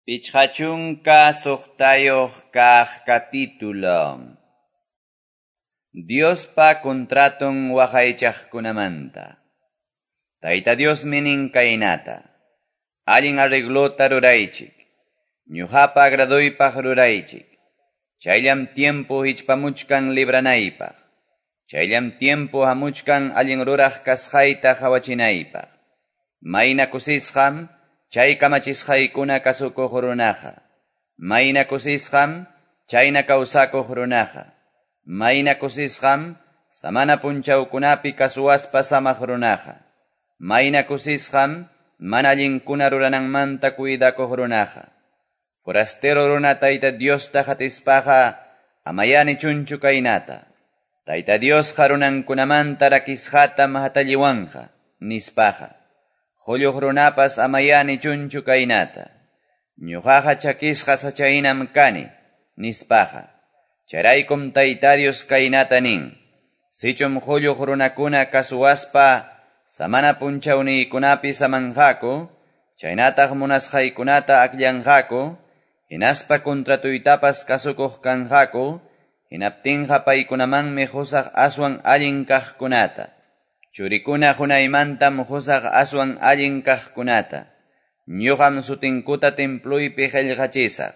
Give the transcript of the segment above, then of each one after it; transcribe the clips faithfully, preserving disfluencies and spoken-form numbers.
Pichqa chunka suqtayuq kaq capítulo. Diospa contraton waqaychaqkunamanta. Tayta Diosmi nin kaynata: Allin arreglota ruraychik. Ñuqapa agradoypaq ruraychik. Chayllam tiempo hichpamuchkan libranaypaq. Chayllam tiempo hamuchkan allin ruraq kasqayta qawachinaypaq. Mayna kusisqam chay kamachisqaykuna kasukuq runaqa. Mayna kusisqam chayna kawsakuq runaqa. Mayna kusisqam samana punchawkunapi kasuwaspa samaq runaqa. Mayna kusisqam mana allinkuna rurananmanta cuidakuq runaqa. Forastero runa Tayta Diosta qatispaqa amayá nichunchu kaynata. Tayta Diosqa runankunamanta rakisqatam hatalliwanqa, nispaqa. Qulluq runapas amayá nichunchu kaynata. Ñuqaqa chakisqa sachahinam kani, nispaqa. Chayraykum Tayta Dios kaynata nin. Sichum qulluq runakuna kasuwaspa samana punchawniykunapi samanqaku, chaynataq munasqaykunata akllanqaku, hinaspa contratuytapas kasukuq kanqaku, hinaptinqa paykunamanmi qusaq aswan allin kaqkunata. Churikuna qunaymantam qusaq aswan allin kaqkunata. Ñuqam sutinkuta templuypi qillqachisaq.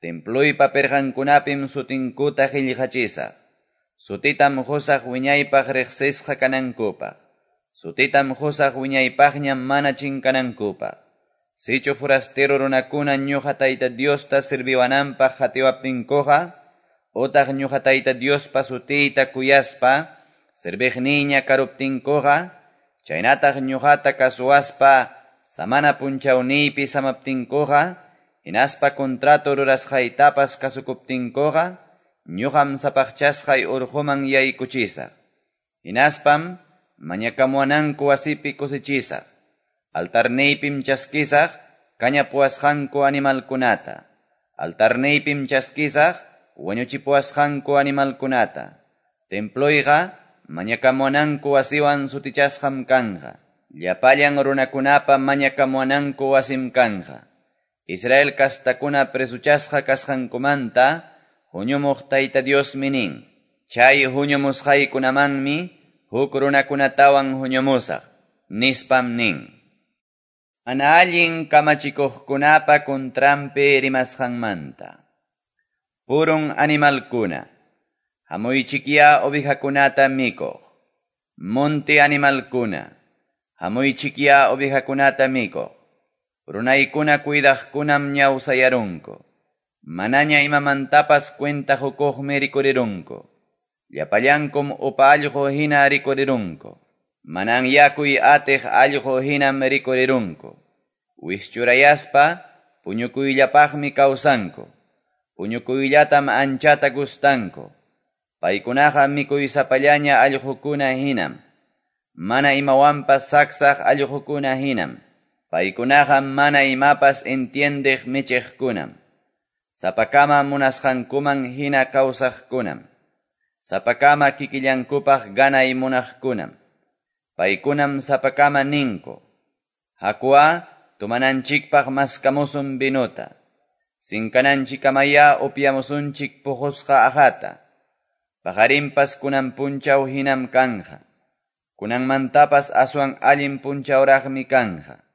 Templuypa pirqankunapim sutinkuta qillqachisaq. Sutitam qusaq wiñaypaq riqsisqa kanankupaq. Sutitam qusaq wiñaypaqñam mana chinkanankupaq. Sichu forastero runakuna ñuqa Tayta Diosta sirviwananpaq qatiwaptinkuqa, utaq ñuqa Tayta Diospa sutiyta kuyaspa, serviqniña karuptinkuqa, chaynataq ñuqata kasuwaspa, samana punchawniypi samaptinkuqa, hinaspa contrato rurasqaytapas kasukuptinkuqa, ñuqam sapaqchasqay urquman yaykuchisaq. Hinaspam mañakamuwananku wasipi kusichisaq. Altarniypim chaskisaq kañapuwasqanku animalkunata. Altarniypim chaskisaq wañuchipuwasqanku animalkunata. Temployqa mañakamuwananku wasiwan sutichasqam kanqa. Llapallan runakunapa mañakamuwananku wasim kanqa. Israel kastakuna presuchasqa kasqankumanta huñumuq Tayta Diosmi nin. Chay huñumusqaykunamanmi huk runakunatawan huñumusaq, nispam nin. Mana allin kamachikuqkunapa contranpi rimasqanmanta. Purun animalkuna, hamuychikyá ovejakunata mikuq. Monte animalkuna, hamuychikyá ovejakunata mikuq. Runaykuna cuidaqkunam ñawsayarunku. Manaña imamantapas cuenta qukuqmi rikurirunku. Llapallankum upa allqu hina rikurirunku. Manan yakuy atiq allqu hinam rikurirunku. Wischurayaspa puñukuyllapaqmi kawsanku. Puñukuyllatam anchata gustanku. Paykunaqa mikuysapallaña allqukuna hinam. Mana imawanpas saksaq allqukuna hinam. Paykunaqa mana imapas entiendeq michiqkunam. Sapakama munasqankuman hina kawsaqkunam. Sapakama kikillankupaq ganay munaqkunam. Paykunam sapakama ninku. Hakuwa tumananchikpaq maskamusun vinuta. Sinkananchikkamaya upyamusunchik puqusqa aqhata. Paqarinpas kunan punchaw hinam kanja. Kunanmantapas aswan allin punchawraqmi kanja.